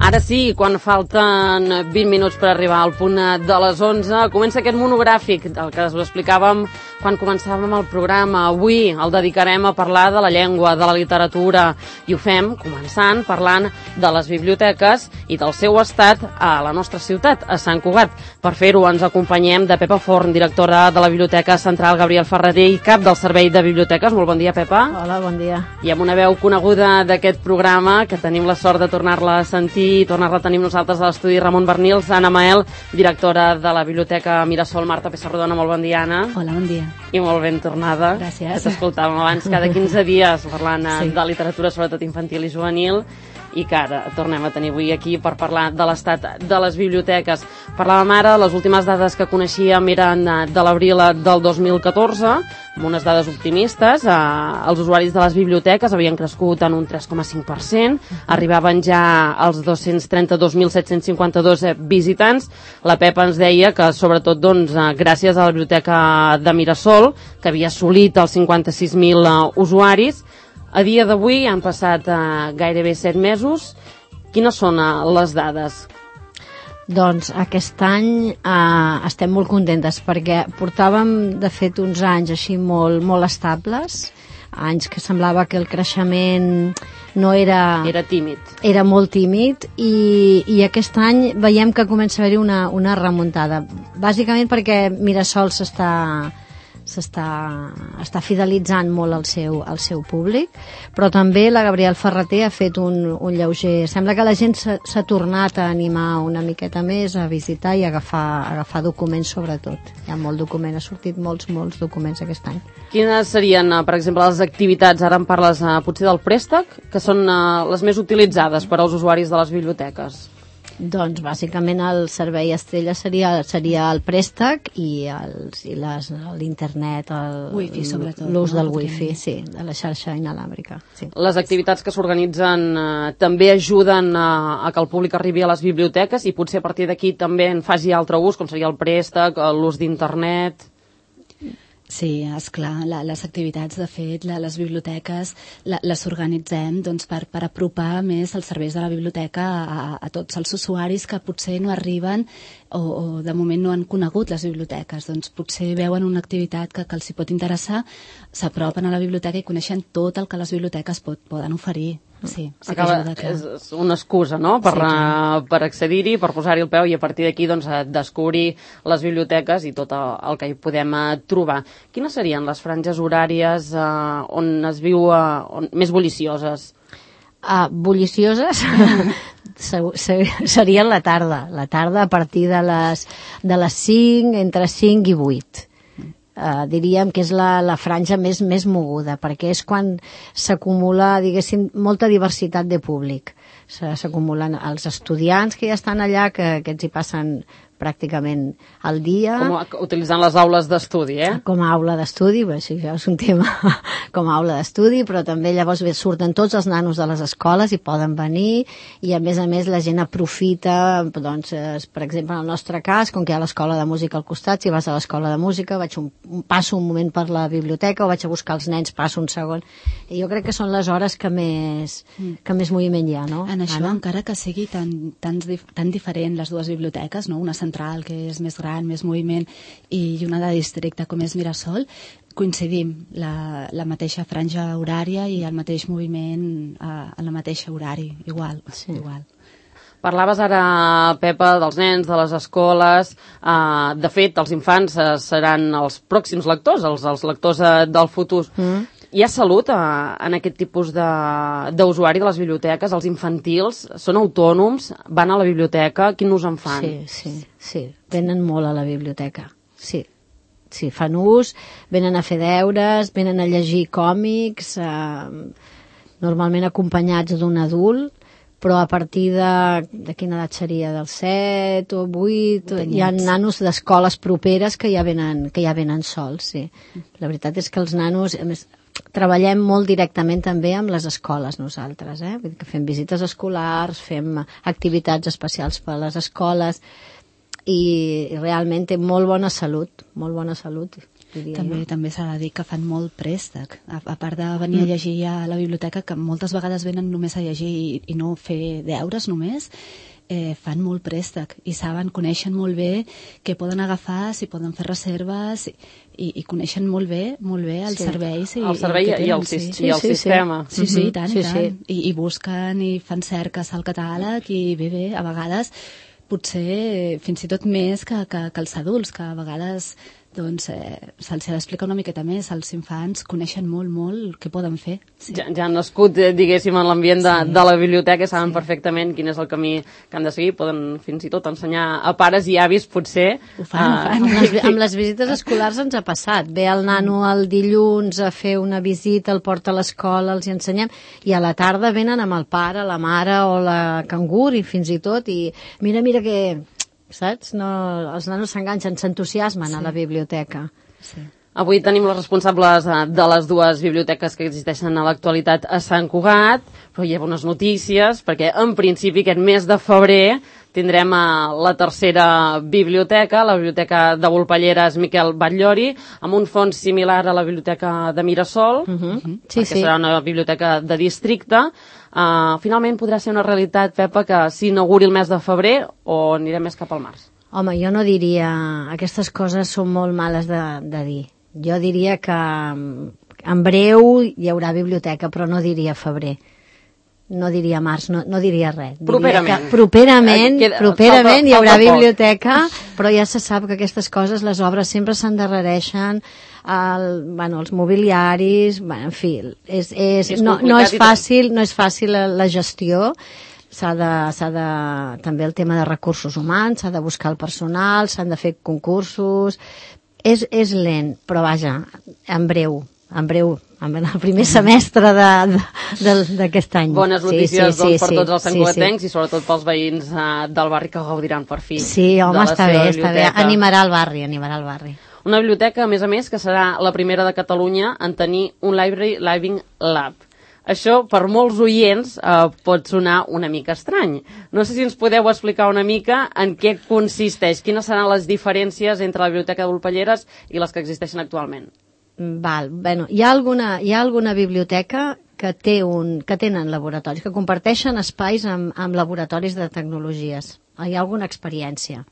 Ara sí, quan falten 20 minuts per arribar al punt de les 11, comença aquest monogràfic, el que us explicàvem quan començàvem el programa. Avui el dedicarem a parlar de la llengua, de la literatura, i ho fem començant parlant de les biblioteques i del seu estat a la nostra ciutat, a Sant Cugat. Per fer-ho ens acompanyem de Pepa Forn, directora de la Biblioteca Central Gabriel Ferrater i cap del Servei de Biblioteques. Molt bon dia, Pepa. Hola, bon dia. I amb una veu coneguda d'aquest programa, que tenim la sort de tornar-la a sentir i tornar-la a tenir nosaltres a l'estudi, Ramon Bernils, Anna Mael, directora de la Biblioteca Mirasol. Marta Pessarrodona, molt bon dia, Anna. Hola, bon dia. I molt ben tornada. Gràcies. Que t'escoltàvem abans cada 15 dies parlant de literatura, sobretot infantil i juvenil, i que ara tornem a tenir avui aquí per parlar de l'estat de les biblioteques. Parlàvem ara, les últimes dades que coneixíem eren de l'abril del 2014, amb unes dades optimistes. Els usuaris de les biblioteques havien crescut en un 3,5%, arribaven ja als 232.752 visitants. La Pepa ens deia que, sobretot, gràcies a la Biblioteca de Mirasol, que havia assolit els 56.000 usuaris. A dia d'avui han passat gairebé 7 mesos. Quines són les dades? Doncs aquest any estem molt contentes perquè portàvem, de fet, uns anys així molt estables, anys que semblava que el creixement no era... Era tímid. Era molt tímid i aquest any veiem que comença a haver-hi una remuntada. Bàsicament perquè Mirasol s'està fidelitzant molt al seu públic, però també la Gabriel Ferrater ha fet un lleuger... Sembla que la gent s'ha tornat a animar una miqueta més, a visitar i a agafar documents, sobretot. Hi ha molt document, ha sortit molts documents aquest any. Quines serien, per exemple, les activitats, ara em parles potser del préstec, que són les més utilitzades per als usuaris de les biblioteques? Doncs bàsicament el servei estrella seria el préstec i l'internet, l'ús del wifi, sí, de la xarxa inalàmbrica. Sí. Les activitats que s'organitzen també ajuden a que el públic arribi a les biblioteques i potser a partir d'aquí també en faci altre ús, com seria el préstec, l'ús d'internet... Sí, esclar, les activitats, de fet, les biblioteques les organitzem per apropar més els serveis de la biblioteca a tots els usuaris que potser no arriben o de moment no han conegut les biblioteques. Doncs potser veuen una activitat que els hi pot interessar, s'apropen a la biblioteca i coneixen tot el que les biblioteques poden oferir. Sí, sí que ajuda, clar. És una excusa, no?, per accedir-hi, per posar-hi el peu i a partir d'aquí descobrir les biblioteques i tot el que hi podem trobar. Quines serien les franges horàries on es viu més bullicioses? Bullicioses seria la tarda a partir de les 5, entre 5 i 8. Diríem que és la franja més moguda, perquè és quan s'acumula, diguéssim, molta diversitat de públic. S'acumulen els estudiants que ja estan allà, que aquests hi passen pràcticament al dia. Com utilitzant les aules d'estudi, Com a aula d'estudi, això és un tema com a aula d'estudi, però també llavors surten tots els nanos de les escoles i poden venir, i a més la gent aprofita, doncs, per exemple, en el nostre cas, com que hi ha l'escola de música al costat, si vas a l'escola de música, passo un moment per la biblioteca o vaig a buscar els nens, passo un segon. I jo crec que són les hores que més moviment hi ha, no? En això, encara que sigui tan diferent les dues biblioteques, no? Una central, que és més gran, més moviment, i una de districte, com és Mirasol, coincidim la mateixa franja horària i el mateix moviment a la mateixa horari, igual. Igual. Parlaves ara, Pepa, dels nens, de les escoles. De fet, els infants seran els pròxims lectors, els lectors del futur. Hi ha salut en aquest tipus d'usuari de les biblioteques? Els infantils són autònoms, van a la biblioteca, quin ús en fan? Sí, venen molt a la biblioteca, sí, fan ús, venen a fer deures, venen a llegir còmics, normalment acompanyats d'un adult, però a partir de quina edat seria? Del 7 o 8, hi ha nanos d'escoles properes que ja venen sols, sí. La veritat és que els nanos, a més, treballem molt directament també amb les escoles nosaltres, Vull dir que fem visites escolars, fem activitats especials per a les escoles i realment té molt bona salut, molt bona salut. També s'ha de dir que fan molt préstec. A part de venir a llegir a la biblioteca, que moltes vegades venen només a llegir i no fer deures només, fan molt préstec i coneixen molt bé què poden agafar, si poden fer reserves i coneixen molt bé els serveis el servei i el sistema. Sí, i tant. I busquen i fan cerques al catàleg i bé, a vegades potser fins i tot més que els adults, que a vegades se'ls ha d'explicar una miqueta més. Els infants coneixen molt què poden fer. Sí. Ja han nascut, diguéssim, en l'ambient de la biblioteca, saben perfectament quin és el camí que han de seguir, poden fins i tot ensenyar a pares i avis, potser. Ho fan. Amb les visites escolars ens ha passat. Ve el nano el dilluns a fer una visita, el porta a l'escola, els hi ensenyem, i a la tarda venen amb el pare, la mare o la cangur, i fins i tot, i mira que... saps? No, els nanos s'enganxen, s'entusiasmen a la biblioteca. Sí. Avui tenim les responsables de les dues biblioteques que existeixen a l'actualitat a Sant Cugat, però hi ha bones notícies, perquè en principi aquest mes de febrer tindrem la tercera biblioteca, la Biblioteca de Volpelleres Miquel Batllori, amb un fons similar a la Biblioteca de Mirasol, perquè serà una biblioteca de districte. Finalment podrà ser una realitat, Pepa, que s'inauguri el mes de febrer o anirem més cap al març? Home, jo no diria... Aquestes coses són molt males de dir. Jo diria que en breu hi haurà biblioteca, però no diria febrer. No diria març, no diria res. Properament hi haurà biblioteca, però ja se sap que aquestes coses, les obres sempre s'endarrereixen, els mobiliaris, en fi, no és fàcil la gestió. També el tema de recursos humans, s'ha de buscar el personal, s'han de fer concursos. És lent, però vaja, en breu, en el primer semestre d'aquest any. Bones notícies per tots els santcugatencs i sobretot pels veïns del barri que gaudiran per fi. Sí, home, està bé. Animarà el barri. Una biblioteca, a més, que serà la primera de Catalunya en tenir un Library Living Lab. Això, per molts oients, pot sonar una mica estrany. No sé si ens podeu explicar una mica en què consisteix, quines seran les diferències entre la Biblioteca de Volpelleres i les que existeixen actualment. Hi ha alguna biblioteca que tenen laboratoris, que comparteixen espais amb laboratoris de tecnologies. Hi ha alguna experiència.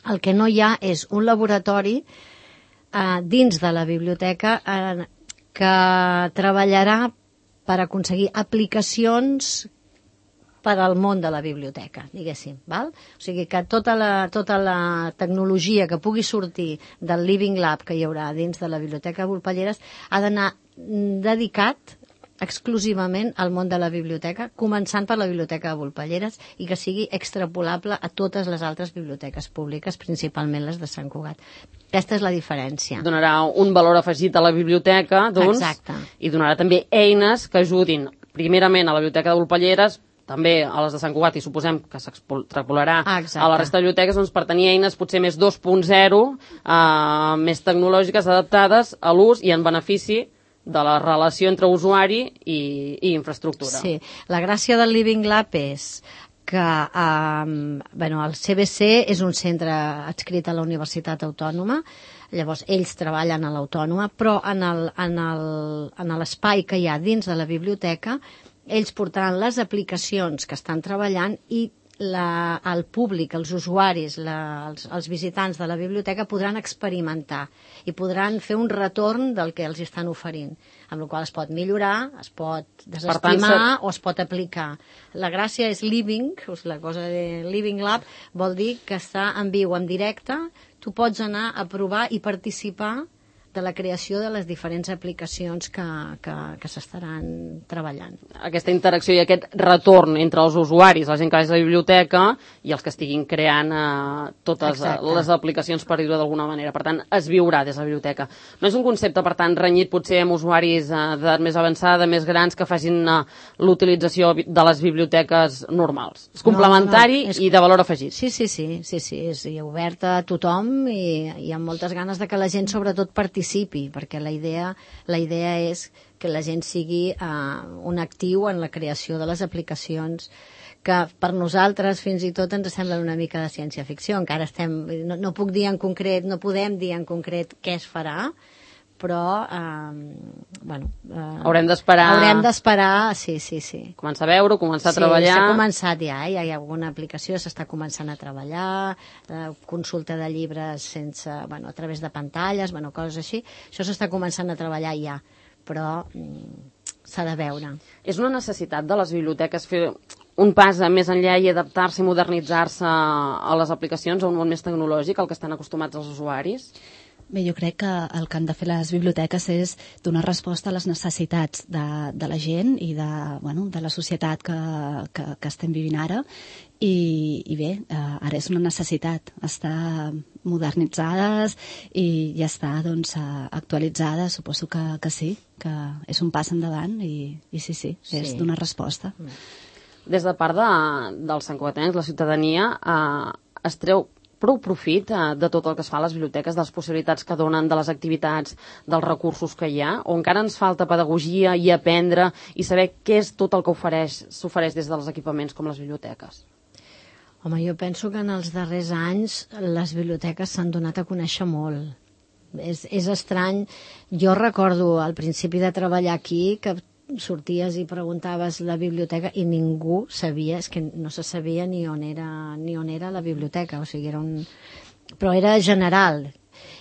El que no hi ha és un laboratori dins de la biblioteca que treballarà per aconseguir aplicacions per al món de la biblioteca, diguéssim. Val? O sigui que tota la tecnologia que pugui sortir del Living Lab que hi haurà dins de la Biblioteca de Volpelleres ha d'anar dedicat exclusivament al món de la biblioteca, començant per la Biblioteca de Volpelleres i que sigui extrapolable a totes les altres biblioteques públiques, principalment les de Sant Cugat. Aquesta és la diferència. Donarà un valor afegit a la biblioteca, doncs, i donarà també eines que ajudin primerament a la Biblioteca de Volpelleres, també a les de Sant Cugat, i suposem que s'extrapolarà a la resta de biblioteques, doncs, per tenir eines potser més 2.0, més tecnològiques, adaptades a l'ús i en benefici de la relació entre usuari i infraestructura. Sí, la gràcia del Living Lab és que el CBC és un centre adscrit a la Universitat Autònoma, llavors ells treballen a l'Autònoma, però en l'espai que hi ha dins de la biblioteca ells portaran les aplicacions que estan treballant i el públic, els usuaris, els visitants de la biblioteca podran experimentar i podran fer un retorn del que els estan oferint, amb la qual es pot millorar, es pot desestimar o es pot aplicar. La gràcia és living, la cosa de Living Lab vol dir que està en viu, en directe, tu pots anar a provar i participar de la creació de les diferents aplicacions que s'estaran treballant. Aquesta interacció i aquest retorn entre els usuaris, la gent que va a la biblioteca i els que estiguin creant totes les aplicacions, per dir-ho d'alguna manera. Per tant, es viurà des de la biblioteca. No és un concepte, per tant, renyit potser amb usuaris d'edat més avançada, més grans, que facin l'utilització de les biblioteques normals. És complementari i de valor afegit. Sí, és obert a tothom i amb moltes ganes de que la gent sobretot participi, perquè la idea és que la gent sigui un actiu en la creació de les aplicacions que per nosaltres fins i tot ens semblen una mica de ciència-ficció. Encara no puc dir en concret, no podem dir en concret què es farà, però haurem d'esperar, sí. Començar a veure, començar a treballar. S'ha començat ja, hi ha alguna aplicació, s'està començant a treballar, consulta de llibres a través de pantalles, coses així. Això s'està començant a treballar ja, però s'ha de veure. És una necessitat de les biblioteques fer un pas més enllà i adaptar-se i modernitzar-se a les aplicacions, a un món més tecnològic, al que estan acostumats els usuaris? Bé, jo crec que el que han de fer les biblioteques és donar resposta a les necessitats de la gent i de la societat que estem vivint ara. I bé, ara és una necessitat estar modernitzades i ja està actualitzades. Suposo que sí, que és un pas endavant i sí, és donar resposta. Des de part dels santcugatencs, la ciutadania es treu prou profit de tot el que es fa a les biblioteques, de les possibilitats que donen, de les activitats, dels recursos que hi ha, o encara ens falta pedagogia i aprendre i saber què és tot el que s'ofereix des dels equipaments com les biblioteques? Home, jo penso que en els darrers anys les biblioteques s'han donat a conèixer molt. És estrany. Jo recordo al principi de treballar aquí que sorties i preguntaves la biblioteca i ningú sabia, és que no se sabia ni on era la biblioteca, o sigui, però era general.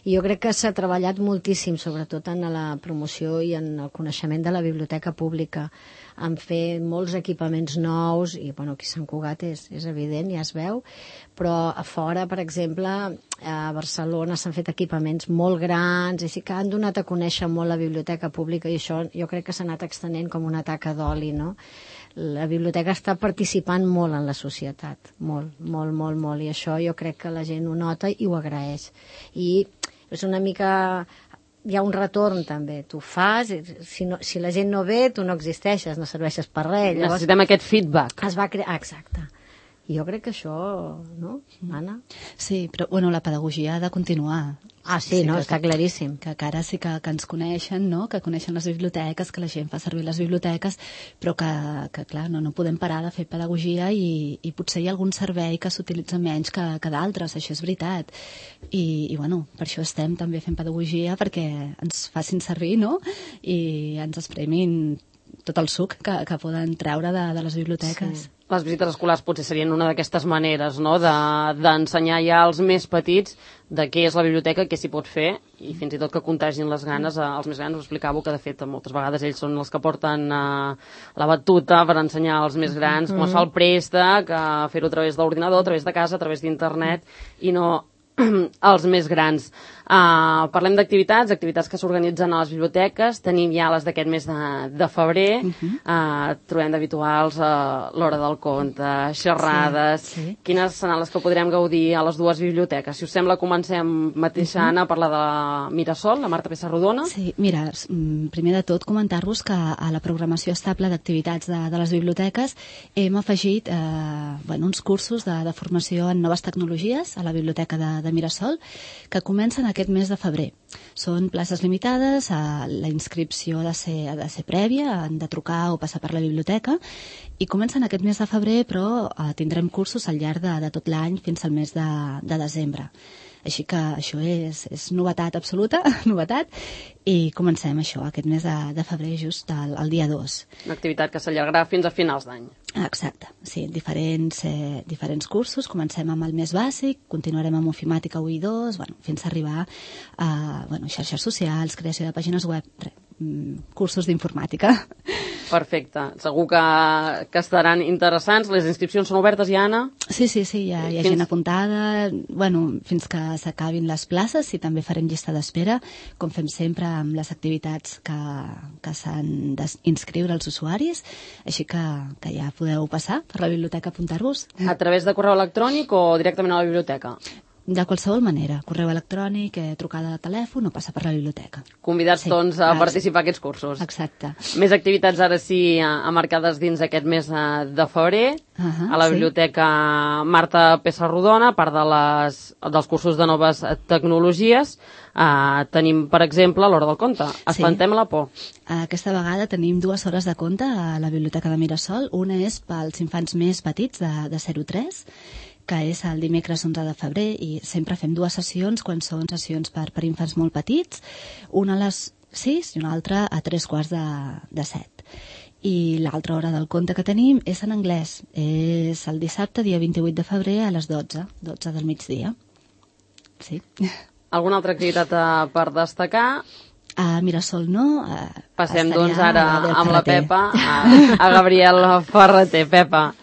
I jo crec que s'ha treballat moltíssim, sobretot en la promoció i en el coneixement de la biblioteca pública, en fer molts equipaments nous, i aquí a Sant Cugat és evident, ja es veu, però a fora, per exemple, a Barcelona s'han fet equipaments molt grans, i sí que han donat a conèixer molt la biblioteca pública, i això jo crec que s'ha anat extenent com una taca d'oli, no? La biblioteca està participant molt en la societat, molt, i això jo crec que la gent ho nota i ho agraeix. I és una mica... Hi ha un retorn també, tu fas, si la gent no ve, tu no existeixes, no serveixes per res. Llavors, necessitem aquest feedback. Es va crear, exacte. I jo crec que això, no, Anna? Sí, però la pedagogia ha de continuar. Sí, no, està claríssim. Que ara sí que ens coneixen, no? Que coneixen les biblioteques, que la gent fa servir les biblioteques, però que clar, no podem parar de fer pedagogia i potser hi ha algun servei que s'utilitza menys que d'altres, això és veritat. I per això estem també fent pedagogia, perquè ens facin servir, no? I ens espremin tot el suc que poden treure de les biblioteques. Sí. Les visites escolars potser serien una d'aquestes maneres, no?, d'ensenyar ja als més petits de què és la biblioteca, què s'hi pot fer, i fins i tot que contagin les ganes als més grans. Us explicàveu que, de fet, moltes vegades ells són els que porten la batuta per ensenyar als més grans com es fa el préstec, fer-ho a través de l'ordinador, a través de casa, a través d'internet, i no els més grans. Parlem d'activitats que s'organitzen a les biblioteques. Tenim ja les d'aquest mes de febrer. Trobem d'habituals l'hora del conte, xerrades. Sí. Quines seran les que podrem gaudir a les dues biblioteques? Si us sembla, comencem mateixa, Anna, a parlar de Mirasol, la Marta Pessarrodona. Sí, mira, primer de tot comentar-vos que a la programació estable d'activitats de les biblioteques hem afegit uns cursos de formació en noves tecnologies a la biblioteca de Mirasol, que comencen aquest mes de febrer. Són places limitades, la inscripció ha de ser prèvia, han de trucar o passar per la biblioteca, i comencen aquest mes de febrer, però tindrem cursos al llarg de tot l'any fins al mes de desembre. Així que això és novetat absoluta, novetat, i comencem això aquest mes de febrer, just el dia 2. Una activitat que s'allargarà fins a finals d'any. Exacte, sí, diferents cursos. Comencem amb el més bàsic, continuarem amb ofimàtica 1 i 2, fins a arribar a xarxes socials, creació de pàgines web, cursos d'informàtica. Perfecte. Segur que estaran interessants. Les inscripcions són obertes ja, Anna? Sí, hi ha gent apuntada. Fins que s'acabin les places, i també farem llista d'espera, com fem sempre amb les activitats que s'han d'inscriure els usuaris. Així que ja podeu passar per la biblioteca a apuntar-vos. A través de correu electrònic o directament a la biblioteca? De qualsevol manera, correu electrònic, trucada de telèfon o passar per la biblioteca. Convidats, doncs, a participar a aquests cursos. Exacte. Més activitats ara sí marcades dins aquest mes de febrer. A la biblioteca Marta Pessarrodona, a part dels cursos de noves tecnologies, tenim, per exemple, l'hora del conte. Espantem la por. Aquesta vegada tenim 2 hores de conte a la biblioteca de Mirasol. Una és pels infants més petits, de 0 a 3, que és el dimecres 11 de febrer, i sempre fem 2 sessions quan són sessions per infants molt petits, una a les 6 i una altra a 3:15 de 7. I l'altra hora del conte que tenim és en anglès. És el dissabte, dia 28 de febrer, a les 12 del migdia. Sí. Alguna altra activitat per destacar? A Mirasol no. Passem, doncs, ara amb la Pepa, a Gabriel Ferreter. Pepa.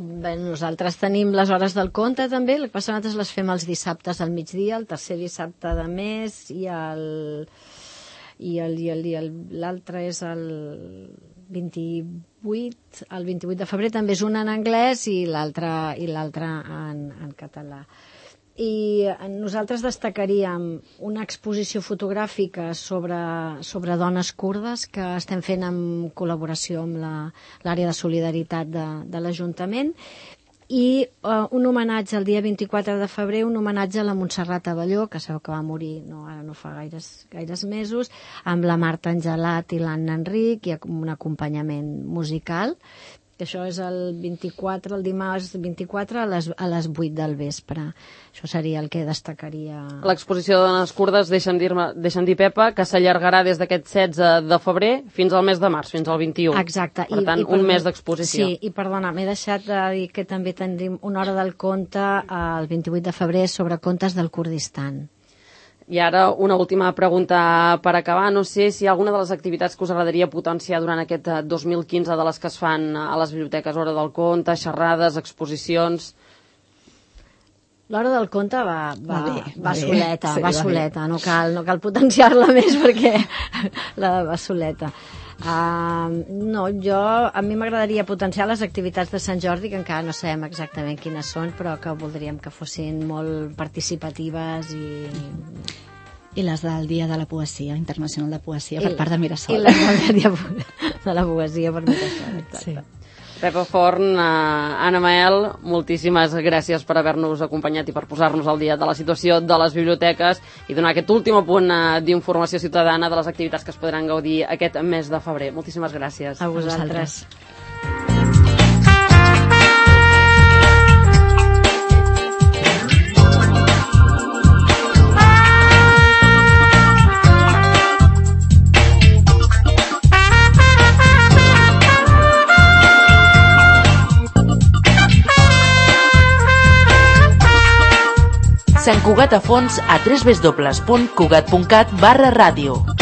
Bé, nosaltres tenim les hores del conte també, el que passa nosaltres les fem els dissabtes al migdia, el tercer dissabte de mes, i l'altre és el 28, el 28 de febrer també és una en anglès i l'altra en català. I nosaltres destacaríem una exposició fotogràfica sobre dones kurdes que estem fent en col·laboració amb l'àrea de solidaritat de l'Ajuntament, i un homenatge el dia 24 de febrer, un homenatge a la Montserrat Abelló, que sabeu que va morir ara no fa gaires mesos, amb la Marta Angelat i l'Anna Enric, i un acompanyament musical. Això és el 24, el dimarts 24 a les 8 del vespre. Això seria el que destacaria. L'exposició de dones kurdes, deixa'm dir, Pepa, que s'allargarà des d'aquest 16 de febrer fins al mes de març, fins al 21. Exacte. Per tant, un mes d'exposició. Sí, i perdona, m'he deixat de dir que també tindrem una hora del conte el 28 de febrer sobre contes del Kurdistan. I ara una última pregunta per acabar. No sé si hi ha alguna de les activitats que us agradaria potenciar durant aquest 2015 de les que es fan a les biblioteques, hora del conte, xerrades, exposicions. L'hora del conte va soleta, sí, va soleta. No cal potenciar-la més perquè va soleta. A mi m'agradaria potenciar les activitats de Sant Jordi, que encara no sabem exactament quines són, però que voldríem que fossin molt participatives i les del Dia de la Poesia, Internacional de Poesia, per part de Mirasol. I les del Dia de la Poesia per Mirasol, exacte. Sí. Pepa Forn, Anna Mael, moltíssimes gràcies per haver-nos acompanyat i per posar-nos al dia de la situació de les biblioteques i donar aquest últim apunt d'informació ciutadana de les activitats que es podran gaudir aquest mes de febrer. Moltíssimes gràcies. A vosaltres. Sant Cugat a fons a www.cugat.cat/ràdio.